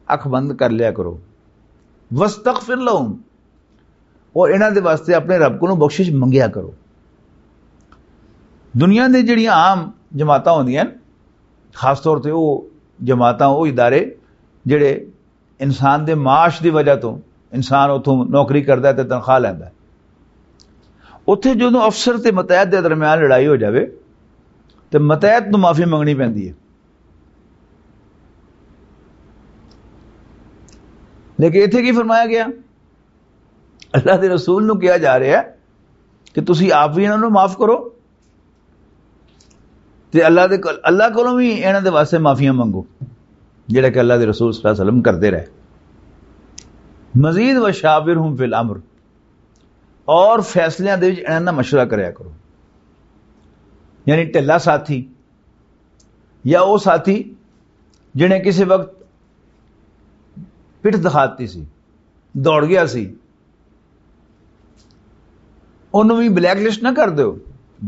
اکھ بند کر لیا کرو۔ واستغفر لہم، اور انہاں دے واسطے اپنے رب کولوں بخشش منگیا کرو۔ دنیا دے جڑیاں عام جماعتاں ہوندیاں ہن، خاص طور تے او جماعتاں، او ادارے جڑے انسان دے معاش دی وجہ تو، انسان اتھوں نوکری کردا ہے تے تنخواہ لیندا ہے، اتھے جدوں افسر تے متحد دے درمیان لڑائی ہو جاوے تے متحد نوں معافی منگنی پیندی ہے۔ لیکن اتھے کی فرمایا گیا؟ اللہ دے رسول نوں کہا جا رہا ہے کہ تسی آپ بھی انہاں نوں معاف کرو، تے اللہ دے کول، اللہ کولوں بھی انہاں دے واسطے معافیاں منگو، جڑا کہ اللہ دے رسول صلی اللہ علیہ وسلم کردے رہے۔ مزید وشاورہم فی الامر، اور فیصلیاں دے وچ انہاں نال مشورہ کریا کرو۔ یعنی ڈھلا ساتھی یا او ساتھی جنے کسی وقت پٹھ دکھا دتی سی، دوڑ گیا سی، انہوں بھی بلیک لسٹ نہ کر دیو۔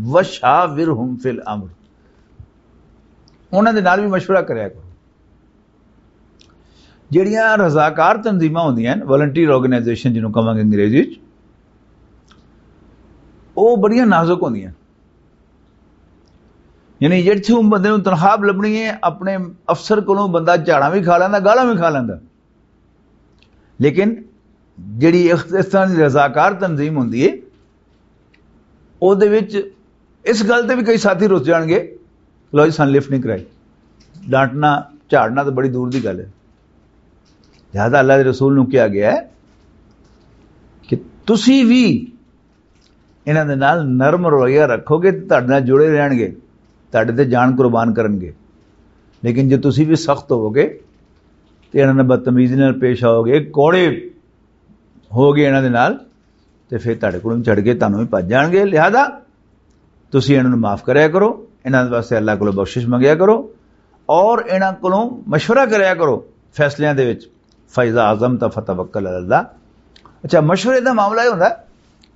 وشاورہم فی الامر، انہاں دے نال بھی مشورہ کریا کرو۔ جڑیاں رضاکار تنظیماں ہوندیاں ہن، والنٹیئر آرگنائزیشن جنہوں کہواں گے انگریزی وچ، او بڑیاں نازک ہوندیاں۔ یعنی جڑے تھوں بندے نوں تنخواہ لبنی ہے، اپنے افسر کولوں بندہ جھاڑاں بھی کھا لیندا، گالاں بھی کھا لیندا، لیکن جڑی اس، اس طرح دی رضاکار تنظیم ہوندی ہے، او دے وچ اس گل تے بھی کئی ساتھی رس جان گے، "لو جی، سن لفٹ نہیں کرائی۔" ڈانٹنا، جھاڑنا تو بڑی دور دی گل ہے۔ لہذا اللہ دے رسول نوں کہا گیا ہے کہ تسی بھی انہاں دے نال نرم رویہ رکھو گے تے تہاڈے نال جڑے رہن گے، تہاڈے تے جان قربان کرن گے۔ لیکن جے تسی بھی سخت ہوو گے تے انہاں نال بدتمیزی نال پیش آؤ گے، کوڑے ہو گئے انہاں دے نال، تے پھر تہاڈے کولوں چھڑ کے تہانوں بھی بھج جان گے۔ لہذا تسی انہاں نوں معاف کریا کرو، انہاں واسطے اللہ کولوں بخشش منگیا کرو، اور انہاں کولوں مشورہ کریا کرو فیصلیاں دے وچ۔ فَإِذَا عَزَمْتَ فَتَوَكَّلْ عَلَى اللَّهِ۔ اچھا، مشورے دا معاملہ یہ ہوندا ہے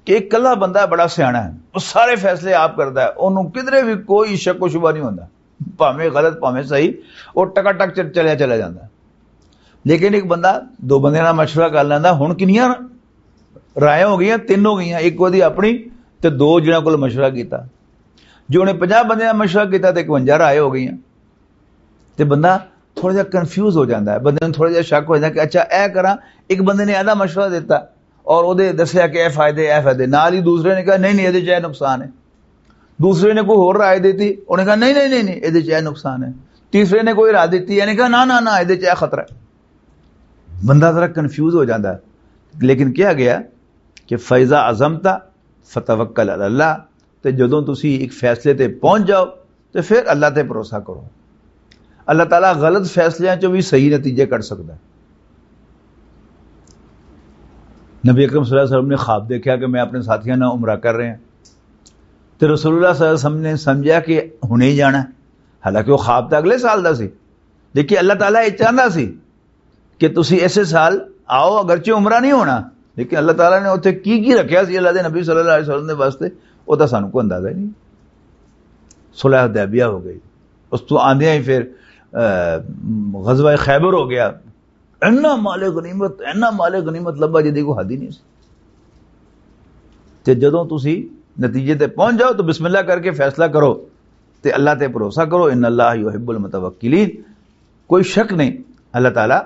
کہ ایک کلہا بندہ بڑا سیاݨا ہے، وہ سارے فیصلے آپ کردا ہے، انہوں کدرے بھی کوئی شک و شبہ نہیں ہوندا، بھاویں غلط بھاویں صحیح، وہ ٹکا ٹک چ-، چلیا چلا جاندا ہے۔ لیکن ایک بندہ دو بندے نال مشورہ کر لیندا، ہن کنیاں رائے ہو گئیاں؟ تین ہو گئیاں، ایک وہدی اپنی تے دو جنہاں کول مشورہ کیتا۔ جو انہیں پنجاہ بندے نال مشورہ کیتا تے اکونجا رائے ہو گئیاں۔ تے بندہ تھوڑا جہا کنفیوز ہو جاندا ہے، بندے نوں تھوڑا جہا شک ہو جاندا کہ اچھا اے کراں، ایک بندے نے ایدا مشورہ دیتا اور اودے دسیا کہ اے فائدے، اے فائدے، نال ہی دوسرے نے کہا نہیں نہیں، ایدے چ اے نقصان ہے۔ دوسرے نے کوئی ہور رائے دیتی، انہیں کہا نہیں نہیں نہیں نہیں، ایدے چ اے نقصان ہے۔ تیسرے نے کوئی رائے دیتی، انہیں کہا نہ نہ نہ، ایدے چ اے خطرہ ہے۔ بندہ ذرا کنفیوز ہو جاندا ہے۔ لیکن کہا گیا کہ فَإِذَا عَزَمْتَ فَتَوَكَّلْ عَلَى اللَّهِ، تے جدوں تسی ایک فیصلے تے پہنچ جاؤ تے پھر اللہ تے بھروسہ کرو۔ اللہ تعالیٰ غلط فیصلیاں چوں بھی صحیح نتیجے کڈ سکدا ہے۔ نبی اکرم صلی اللہ علیہ وسلم نے خواب دیکھا کہ میں اپنے ساتھیاں نال عمرہ کر رہے ہیں، تے رسول اللہ صلی اللہ علیہ وسلم نے سمجھا کہ ہنے ہی جانا ہے، حالانکہ وہ خواب تو اگلے سال دا سی۔ لیکن اللہ تعالیٰ یہ چاہندا سی کہ تسی ایسے سال آؤ، اگرچہ عمرہ نہیں ہونا، لیکن اللہ تعالیٰ نے اتھے کی کی رکھیا سی اللہ دے نبی صلی اللہ علیہ وسلم دے واسطے، وہ تاں سانوں کوئی اندازہ ہی نہیں۔ صلح حدیبیہ ہو گئی، اس تو آندیاں ہی پھر، آ، غزوہ خیبر ہو گیا۔ اینا مال غنیمت، اینا مال غنیمت لبا جی دی کوئی حد ہی نہیں سی۔ تے جدوں تسی نتیجے تے پہنچ جاؤ تو بسم اللہ کر کے فیصلہ کرو تے اللہ تے بھروسہ کرو، ان اللہ یحب المتوکلین۔ کوئی شک نہیں، اللہ تعالیٰ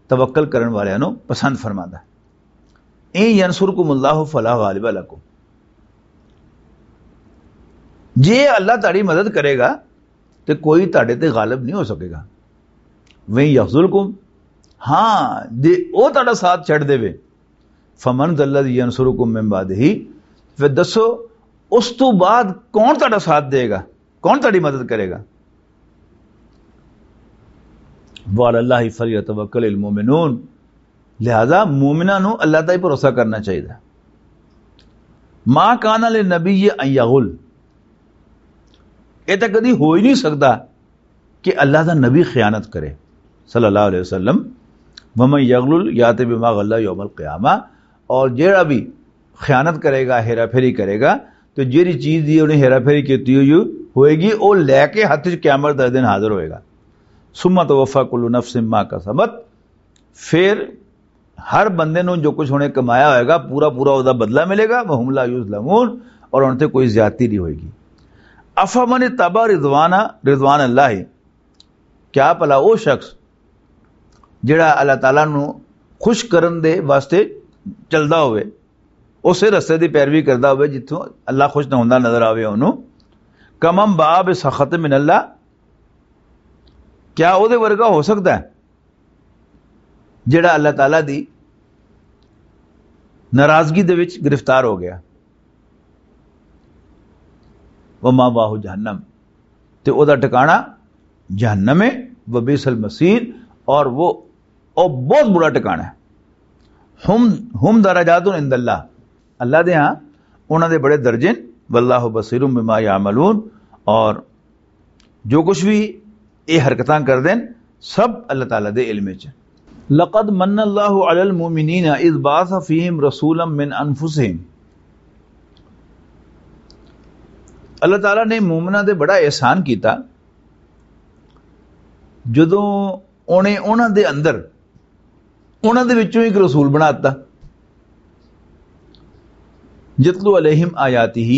توکل کرن والیاں نوں پسند فرماندا ہے۔ ان ینصرکم اللہ فلا غالب لکم، جے اللہ تہاڈی مدد کرے گا تے کوئی تہاڈے تے غالب نہیں ہو سکے گا۔ وین یخذلکم، ہاں، جے او تہاڈا ساتھ چھڈ دے وے، فمن ذا الذی ینصرکم من بعدہ، پھر دسو اس تو بعد کون تہاڈا ساتھ دے گا؟ کون تہاڈی مدد کرے گا؟ وعلی اللہ فلیتوکل المؤمنون۔ لہذا مومناں نوں اللہ تے ہی بھروسہ کرنا چاہیے۔ ما کان للنبی ان یغل، یہ تو کدی ہو ہی نہیں سکتا کہ اللہ دا نبی خیانت کرے، صلی اللہ علیہ وسلم۔ ومن یغلل یات بما غل یوم القیامہ، اور جیڑا بھی خیانت کرے گا، ہیرا پھیری کرے گا، تو جیڑی چیز دی انہیں ہیرا پھیری کیتی ہوئی ہوئے گی، وہ لے کے ہاتھ وچ قیامت دے دن حاضر ہوئے گا۔ ثم توفی کل نفس ما کسبت، پھر ہر بندے نوں جو کچھ انہیں کمایا ہوئے گا، پورا پورا اس دا بدلہ ملے گا۔ وہم لا یظلمون، اور ان تے کوئی زیادتی نہیں ہوئے گی۔ افمن اتبع رضوان، رضوان اللہ، کیا بھلا وہ شخص جڑا اللہ تعالیٰ نوں خوش کرن دے واسطے چلدا ہوئے، اسے رستے دی پیروی کردا ہوئے جتھوں اللہ خوش نہ ہوندا نظر آوے انہوں، کمن باء بسخط من اللہ، کیا او دے ورگا ہو سکدا ہے جڑا اللہ تعالیٰ دی ناراضگی دے وچ گرفتار ہو گیا؟ وما واہ جہنم، تے او دا ٹکانا جہنم ہے، وبئس المصیر، اور وہ، او بہت برا ٹکانا ہے۔ ہم، ہم درجات عند اللہ، اللہ دے ہاں انہاں دے بڑے درجے نے۔ واللہ بصیر بما یعملون، اور جو کچھ بھی یہ حرکتاں کر دین، سب اللہ تعالیٰ دے علم وچ۔ لقد من اللہ علی المؤمنین اذ بعث فیہم رسولا من انفسہم، اللہ تعالیٰ نے مومناں دے بڑا احسان کیتا جدوں انہیں انہاں دے اندر، انہاں دے وچوں ایک رسول بنا دتا۔ یتلو علیہم آیاتہ،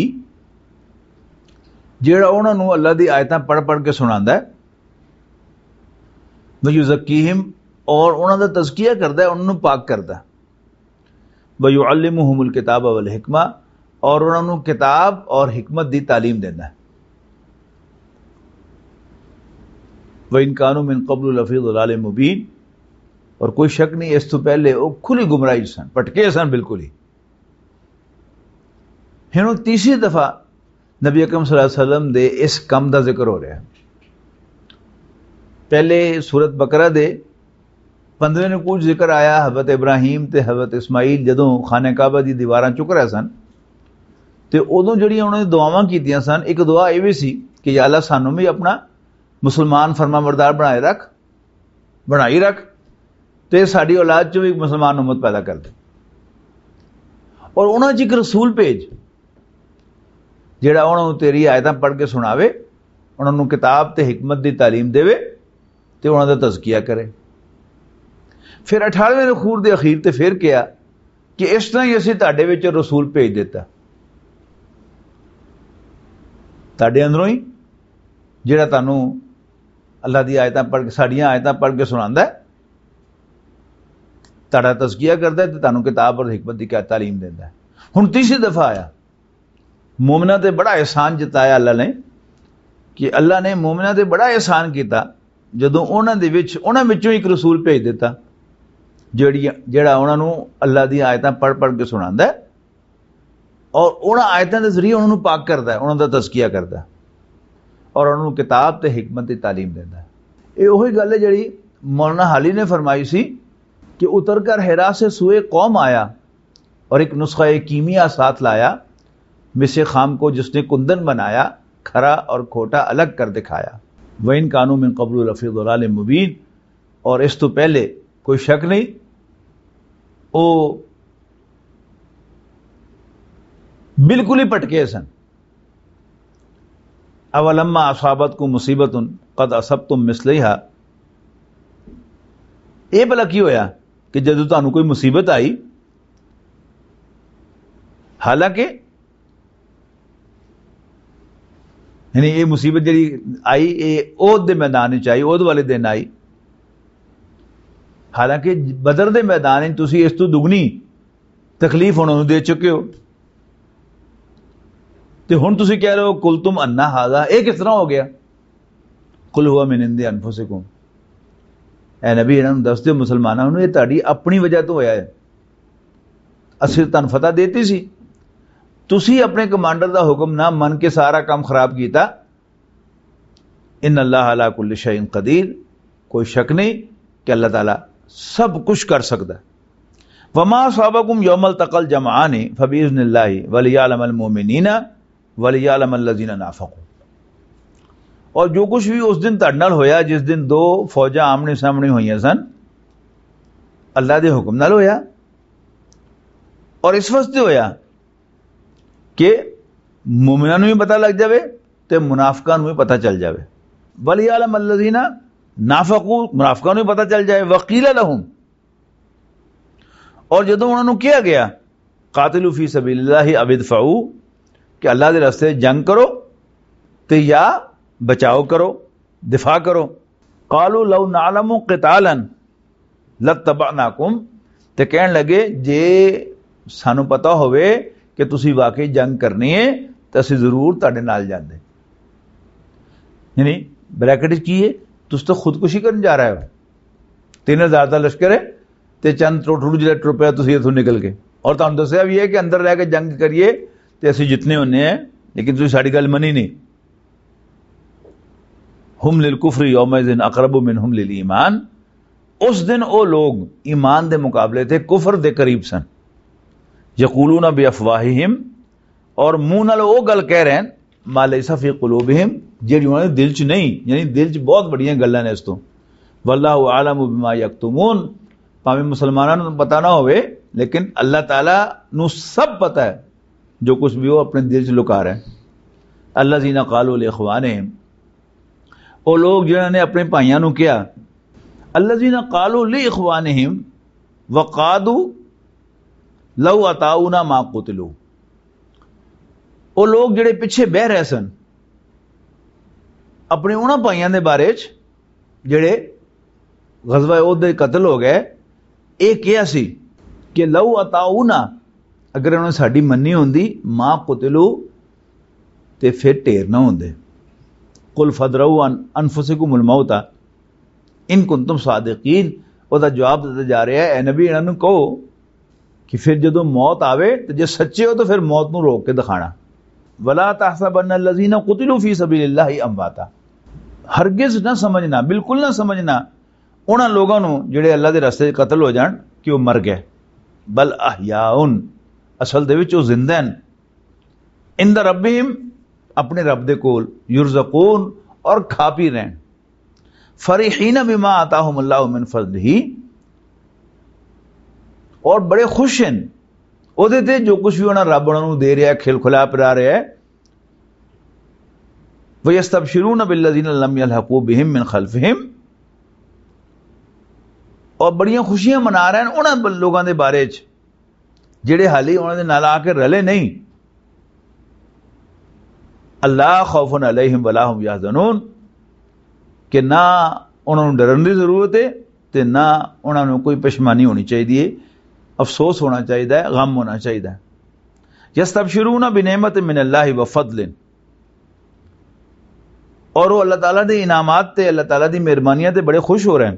جیڑا انہاں نوں اللہ دی آیتاں پڑھ پڑھ کے سناندا ہے۔ ویزکیہم، اور انہاں دا تزکیہ کردا ہے، انہاں نوں پاک کردا ہے۔ ویعلمہم الکتاب والحکمہ، اور انہاں نوں کتاب اور حکمت دی تعلیم دیندا ہے۔ وَإِن كَانُوا مِن قَبْلُ لَفِي ضَلَالٍ مُّبِينٍ، اور کوئی شک نہیں، اس تو پہلے وہ کھلی گمراہی سن، پٹکے سن بالکل ہی۔ پھر ہوں تیسری دفعہ نبی اکرم صلی اللہ علیہ وسلم دے اس کم دا ذکر ہو رہا ہے۔ پہلے سورت بقرہ دے پندرہ نوں کچھ ذکر آیا، حضرت ابراہیم تے حضرت اسماعیل جدوں خانہ کعبہ دی دیواراں چک رہے سن، تے ادوں جڑیاں انہوں نے دعاواں کیتیاں سن، ایک دعا یہ بھی سی کہ یا اللہ، سانوں بھی اپنا مسلمان فرما بردار بنائے رکھ، بنائی رکھ، تے ساڈی اولاد چوں بھی ایک مسلمان امت پیدا کر دے۔ اور انہاں چ ایک رسول بھیج، جڑا انہاں نوں تیری آیتاں پڑھ کے سناوے، انہاں نوں کتاب تے حکمت دی تعلیم دے، تے انہاں دا تزکیہ کرے۔ پھر اٹھارہویں نوں خور دے اخیر تے پھر کہیا کہ اس طرح ہی اسی تہاڈے وچ رسول بھیج دتا، تہاڈے اندروں ہی، جڑا تانوں اللہ دی آیتاں پڑھ کے، ساڈیاں آیتاں پڑھ کے سناندا ہے، تہاڈا تزکیہ کردا ہے تے تانوں کتاب اور حکمت دی کیا تعلیم دیندا ہے۔ ہن تیسری دفعہ آیا، مومناں تے بڑا احسان جتایا اللہ نے، کہ اللہ نے مومناں تے بڑا احسان کیتا جدوں انہاں دے وچ، انہاں وچوں ایک رسول بھیج دتا، جڑی، جڑا انہاں نوں اللہ دی آیتاں پڑھ پڑھ کے سناندا ہے اور انہاں آیتاں دے ذریعے انہاں نوں پاک کردا ہے، انہاں دا تزکیہ کردا ہے اور انہاں نوں کتاب تے حکمت دی تعلیم دیندا ہے۔ یہ وہی گل ہے جڑی مولانا حالی نے فرمائی سی کہ اتر کر حرا سے سوئے قوم آیا اور ایک نسخہ کیمیا ساتھ لایا، مس خام کو جس نے کندن بنایا، کھرا اور کھوٹا الگ کر دکھایا۔ وَإِن كَانُوا مِن قَبْلُ لَفِي ضَلَالٍ مُّبِينٍ، اور اس تو پہلے کوئی شک نہیں، وہ بالکل ہی پٹکے سن۔ اولما اصابتکم مصیبت قد اصبتم مثلیہا، یہ بھلا کی ہویا کہ جدوں تانوں کوئی مصیبت آئی، حالانکہ، یعنی یہ مصیبت جڑی آئی، یہ عہد دے میدان وچ آئی، عہد والے دن آئی، حالانکہ بدر دے میدان وچ تسی اس تو دگنی تکلیف انہاں نوں دے چکے ہو۔ تے ہن تسی کہہ رہے ہو، "قلتم انا ھذا"، اے کس طرح ہو گیا؟ "قل ھو من عند انفسکم"، اے نبی، انہاں نوں دس دیو مسلماناں نوں، اے تہاڈی اپنی وجہ تو ہویا ہے۔ اسی تانوں فتح دیتی سی، تسی اپنے کمانڈر دا حکم نہ من کے سارا کام خراب کیتا۔ ان اللہ علی کل شیء قدیر، کوئی شک نہیں کہ اللہ تعالیٰ سب کچھ کر سکتا ہے۔ وما اصابکم یوم التقى الجمعان فباذن اللہ ولیعلم المؤمنین ولیعلم الذین نافقوا۔ اور جو کچھ بھی اس دن تہاڈے نال ہویا، جس دن دو فوجاں آمنے سامنے ہوئیاں سن، اللہ دے حکم نال ہویا۔ اور اس واسطے ہویا کہ مومناں نوں بھی پتہ لگ جاوے تے منافقاں نوں بھی پتہ چل جاوے۔ وَلِيَعْلَمَ الَّذِينَ نَافَقُوا، منافقاں نوں بھی پتہ چل جائے۔ وَقِيلَ لَهُمْ، اور جدوں انہاں نوں کہا گیا، "قَاتِلُوا فِي سَبِيلِ اللَّهِ أَوِ ادْفَعُوا"، کہ اللہ دے راستے جنگ کرو تے یا بچاؤ کرو، دفاع کرو۔ "قَالُوا لَوْ نَعْلَمُ قِتَالًا" لَاتَّبَعْنَاكُمْ، تے کہن لگے، "جے سانو پتہ ہوئے کہ تسی واقعی جنگ کرنی ہے، تے اسی ضرور تہاڈے نال جاندے۔" یعنی بریکٹ وچ کی ہے؟ تسی تو خودکشی کرن جا رہے ہو۔ تین ہزار دا لشکر ہے تے چند ٹوٹلو جڑے ٹرپیا تسی اتھوں نکل کے، اور تانوں دسیا بھی ہے کہ اندر رہ کے جنگ کریے تے اسی جتنے ہونے ہیں، لیکن تسی ساڈی گل منی نہیں۔ "هم للكفر يومئذ أقرب منهم للإيمان"، اس دن او لوگ ایمان دے مقابلے تے کفر دے قریب سن۔ "یقولون بافواہہم"، اور منہ نال او گل کہہ رہے ہیں، "ما لیس فی قلوبہم"، جیڑی انہاں دے دل چ نہیں، یعنی دل چ بہت بڑیاں گلاں نے اس تو۔ "واللہ اعلم بما یکتمون"، پاویں مسلماناں نوں پتہ نہ ہوئے، لیکن اللہ تعالیٰ نوں سب پتہ ہے جو کچھ بھی وہ اپنے دل چ لکا رہے ہیں۔ "الذین قالوا لاخوانہم"، او لوگ جنہاں نے اپنے بھائیاں نوں کہا، "الذین قالوا لاخوانہم وقعدوا لو اطاعونا ما قتلوا"، او لوگ جڑے پیچھے بہ رہے سن اپنے انہاں بھائیاں دے بارے چ جڑے غزوہ احد دے قتل ہو گئے، اے کہیا سی کہ "لو اطاعونا"، اگر انہوں نے ساڈی منی ہوندی، "ما قتلوا"، تے پھر ڈھیر نہ ہوندے۔ "قل فادرؤوا عن انفسکم الموت ان کنتم صادقین"، او دا جواب دتا جا رہا ہے، اے نبی، انہاں نوں کہو کہ پھر جدوں موت آوے تو جے سچے ہو تو پھر موت نوں روک کے دکھانا۔ ولا تحسبن الذين قتلوا في سبيل الله امواتا، ہرگز نہ سمجھنا، بالکل نہ سمجھنا انہاں لوگاں نوں جڑے اللہ دے راستے وچ قتل ہو جان کہ وہ مر گئے۔ بل احیاء، اصل دے وچ وہ زندہ ہیں۔ عند ربهم، اپنے رب دے کول، یرزقون، اور کھا پی رہن۔ فرحین بما آتاہم اللہ من فضلہ، اور بڑے خوش ہیں او دے تے جو کچھ بھی انہاں رب انہاں نوں دے رہا ہے، کھل کھلا پرا رہا ہے۔ ویستبشرون بالذین لم یلحقوا بہم من خلفہم، اور بڑیاں خوشیاں منا رہے ہیں انہاں لوگاں دے بارے چ جڑے حالی انہاں دے نال آ کے رلے نہیں۔ اللہ خوف علیہم ولا هم یحزنون، کہ نہ انہاں نوں ڈرن دی ضرورت ہے تے نہ انہاں نوں کوئی پشمانی ہونی چاہیے، افسوس ہونا چاہیے، غم ہونا چاہیے۔ یستبشرون بنعمت من اللہ وفضل، اور وہ اللہ تعالیٰ دے انعامات تے اللہ تعالیٰ دی مہربانیاں تے بڑے خوش ہو رہے ہیں۔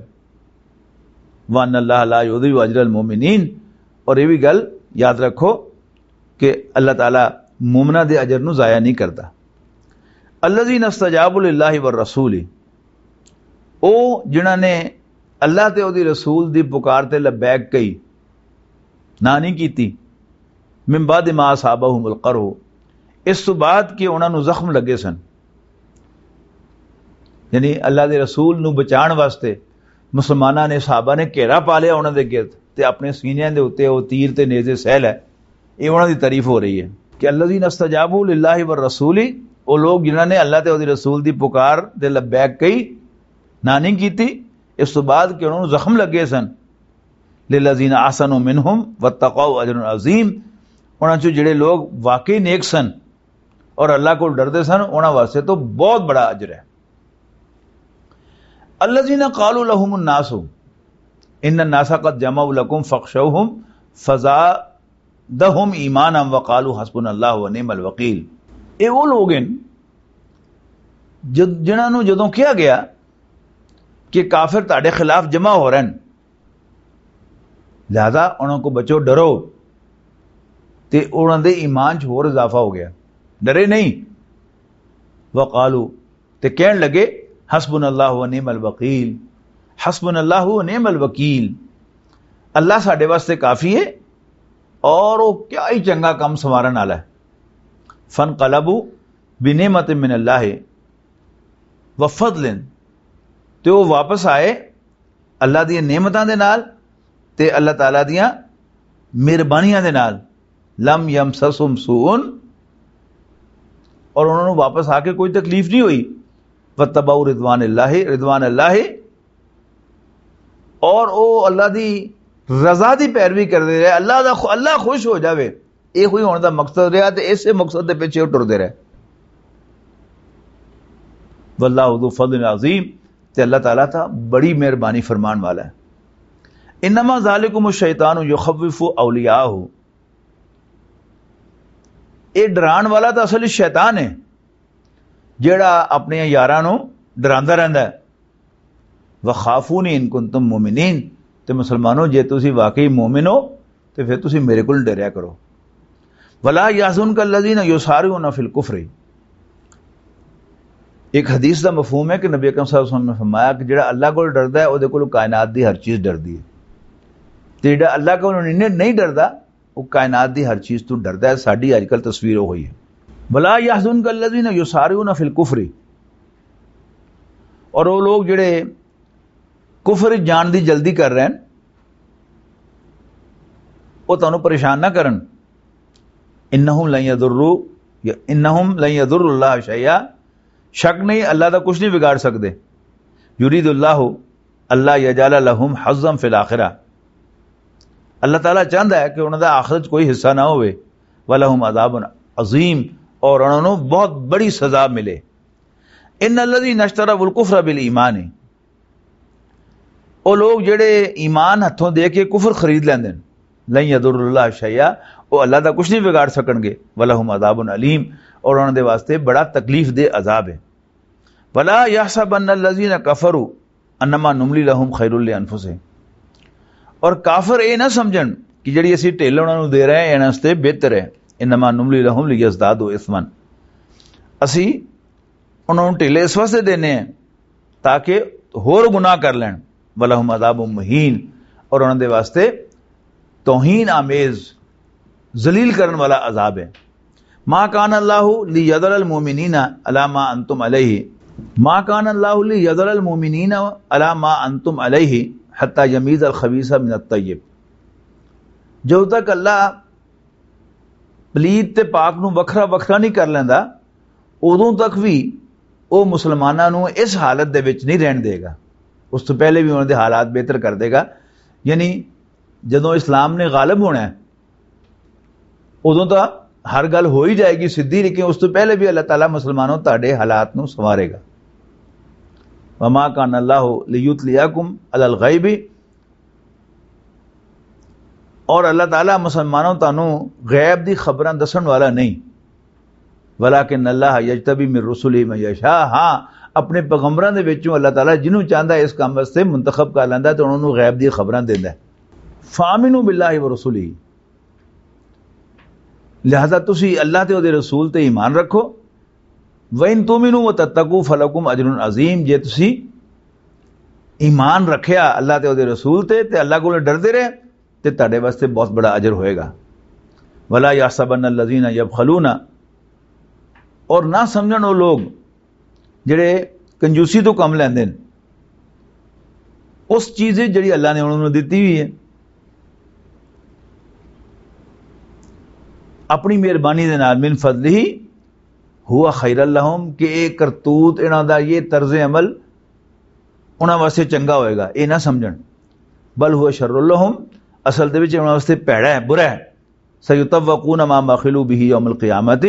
وَأَنَّ اللَّهَ لَا يُضِيعُ أَجْرَ الْمُؤْمِنِينَ، اور یہ بھی گل یاد رکھو کہ اللہ تعالیٰ مومنہ دے اجر نو ضائع نہیں کرتا۔ الَّذِينَ اسْتَجَابُوا لِلَّهِ وَالرَّسُولِ، او جنہاں نے اللہ تے او دی رسول دی پکار تے لبیک کہی، نہ نہیں کیتی، من بعد ما اصابہم القرح، اس تو بعد کہ انہاں نو زخم لگے سن، یعنی اللہ دے رسول نو بچان واسطے مسلماناں نے، صحابہ نے گھیرا پا لیا انہاں دے گرد تے اپنے سینیاں دے اُتے او تیر تے نیزے سہل ہے۔ یہ انہاں دی تعریف ہو رہی ہے کہ الذین استجابوا للہ والرسول، او لوگ جنہاں نے اللہ تے او دی رسول دی پکار تے لبیک کہی، نہ نہیں کیتی، اس تو بعد کہ انہاں نوں زخم لگے سن۔ للذین احسنوا منہم واتقوا اجر عظیم، انہاں چوں جڑے لوگ واقعی نیک سن اور اللہ کو ڈردے سن، انہاں واسطے تو بہت بڑا اجر ہے۔ الذین قالوا لهم الناس ان الناس قد جمعوا لكم فاخشوهم فزادهم ایمانا وقالوا حسبنا اللہ ونعم الوکیل۔ یہ وہ لوگ ہیں جد-، جنہاں نوں جدوں کہا گیا کہ کافر تہاڈے خلاف جمع ہو رہے ہیں، لہذا انہاں کو بچو، ڈرو، تے انہاں دے ایمان چ ہور اضافہ ہو گیا، ڈرے نہیں۔ وقالو، تے کہن لگے، حسبنا اللہ و نعم الوکیل، حسبنا اللہ و نعم الوکیل، اللہ ساڈے واسطے کافی ہے اور وہ کیا ہی چنگا کم سنوارن والا ہے۔ فانقلبوا بنعمت من اللہ و فضل، تے وہ واپس آئے اللہ دیاں نعمتاں دے نال تے اللہ تعالیٰ دیاں مہربانیاں دے نال۔ لم یمسسہم سوء، اور انہوں نے واپس آ کے کوئی تکلیف نہیں ہوئی۔ واتبعوا رضوان اللہ، رضوان اللہ، اور او اللہ دی رضا دی پیروی کردے رہے، اللہ دا خو-، اللہ خوش ہو جاوے۔ یہ کوئی ہون دا مقصد رہا تے اسے مقصد دے پیچھے وہ ٹردے رہے۔ واللہ ذو فضل عظیم، تے اللہ تعالیٰ تھا بڑی مہربانی فرمان والا ہے۔ انما ذالکم الشیطان یخوف اولیاءہ، یہ ڈران والا تو اصل شیطان ہے، جیڑا اپنے یاراں نو ڈراندا رہندا ہے۔ وخافونی ان کنتم مؤمنین، تے مسلمانوں، جے تسی واقعی مومن ہو تے پھر تسی میرے کول ڈریا کرو۔ ولا یحزنک الذین یسارعون فی الکفر۔ ایک حدیث دا مفہوم ہے کہ نبی اکرم صلی اللہ علیہ وسلم نے فرمایا کہ جڑا اللہ کول ڈردا ہے، او دے کول کائنات دی ہر چیز ڈردی ہے، تے جڑا اللہ کول نہیں، نہیں ڈردا، وہ کائنات دی ہر چیز تو ڈردا ہے۔ ساڈی اج کل تصویر وہ ہوئی ہے۔ ولا یحزنک الذین یسارعون فی الکفر، اور وہ لوگ جڑے کفر جان دی جلدی کر رہے ہیں، وہ تانوں پریشان نہ کرن۔ انہم لن یضروا، یا انہم لن یضروا اللہ شیئا، شک نہیں، اللہ دا کچھ نہیں بگاڑ سکدے۔ یرید اللہ اللہ یجعل لہم حظا فی الاخرہ، اللہ تعالیٰ چاہتا ہے کہ انہوں دا آخرت کوئی حصہ نہ ہوئے۔ ولہم عذاب عظیم، اور انہوں نوں بہت بڑی سزا ملے۔ ان الذین اشتروا الکفر بالایمان، او لوگ جڑے ایمان ہتھوں دے کے کفر خرید لیندے نے، لن یضر اللہ شیئا، او اللہ دا کچھ نہیں بگاڑ سکن گے۔ ولہم عذاب علیم، اور انہوں دے واسطے بڑا تکلیف دہ عذاب ہے۔ ولا یحسبن الذین کفروا انما نملی لہم خیر لانفسہم، اور کافر اے نہ سمجھن کہ جڑی اسی ڈھل انہاں نوں دے رہے ہیں، انہاں واسطے بہتر ہے۔ انما نملی لہم لیزدادوا اثما، اسی انہاں نوں ڈھل اس واسطے دینے ہیں تاکہ ہور گناہ کر لین۔ ولہم عذاب مہین، اور انہاں دے واسطے توہین آمیز، ذلیل کرن والا عذاب ہے۔ ما کان اللہ لیذر المؤمنین علی ما انتم علیہ، ما کان اللہ لیذر المؤمنین علی ما انتم علیہ حتی یمیز الخبیث من الطیب۔ جدوں تک اللہ پلیت تے پاک نوں وکھرا وکھرا نہیں کر لیندا، ادوں تک بھی او مسلماناں نوں اس حالت دے وچ نہیں رہن دے گا۔ اس تو پہلے بھی انہاں دے حالات بہتر کر دے گا۔ یعنی جدوں اسلام نے غالب ہونا ہے، ادوں تاں ہر گل ہو ہی جائے گی سدھی، لیکن اس تو پہلے بھی اللہ تعالیٰ مسلمانوں تہاڈے حالات نوں سنوارے گا۔ وما کان اللہ لیطلعکم علی الغیب، اور اللہ تعالیٰ مسلمانوں تانوں غیب دی خبراں دسن والا نہیں۔ ولیکن اللہ یجتبی من رسلہ من یشاء، ہاں، اپنے پیغمبراں دے وچوں اللہ تعالیٰ جنوں چاہندا ہے اس کام واسطے منتخب کر لیندا ہے تے انہاں نوں غیب دی خبراں دیندا ہے۔ فآمنوا باللہ ورسلہ، لہذا تسی اللہ تے او دے رسول تے ایمان رکھو۔ وَإِن تُؤْمِنُوا وَتَتَّقُوا فَلَكُمْ أَجْرٌ عَظِيمٌ، جے تسی ایمان رکھیا اللہ تے او دے رسول تے، تے اللہ کول ڈردے رہے، تے تہاڈے واسطے بہت بڑا اجر ہوئے گا۔ وَلَا يَحْسَبَنَّ الَّذِينَ يَبْخَلُونَ، اور نہ سمجھن او لوگ جڑے کنجوسی تو کم لیندے نے، اس چیز وچ جڑی اللہ نے انہاں نوں دتی ہوئی ہے اپنی مہربانی دے نال، من فضلہ ہوا خیر لہم، کہ اے کرتوت انہاں دا، یہ طرز عمل انہاں واسطے چنگا ہوئے گا، اے نہ سمجھن۔ بل ہوا شر لہم، اصل دے وچ انہاں واسطے پیڑا ہے، برا ہے۔ سیطوقون ما بخلوا بہ یوم القیامت،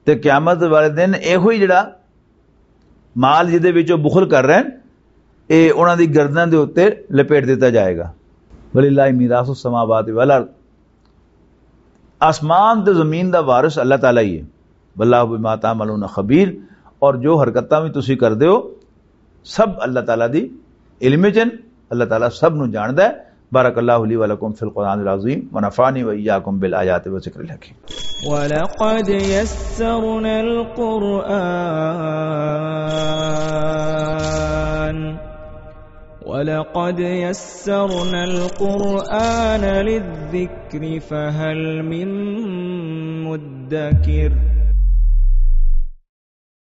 تے قیامت والے دن ایہو ہی جڑا مال جدے وچ او بخل کر رہے ہیں، اے انہاں دی گردن دے اوتے لپیٹ دتا جائے گا۔ وللہ میراث السماوات والارض، آسمان تے زمین دا وارث اللہ تعالیٰ ہی ہے۔ واللہ بما تعملون خبیر، اور جو حرکتاں بھی تسی کردے ہو، سب اللہ تعالیٰ دی علم وچ ہن، اللہ تعالیٰ سب نوں جاندا ہے۔ بارک اللہ لی ولکم فی القرآن العظیم ونفعنی وإیاکم بالآیات والذکر الحکیم۔ ولقد يسرنا القرآن، ولقد يسرنا القرآن للذكر فهل من مدكر۔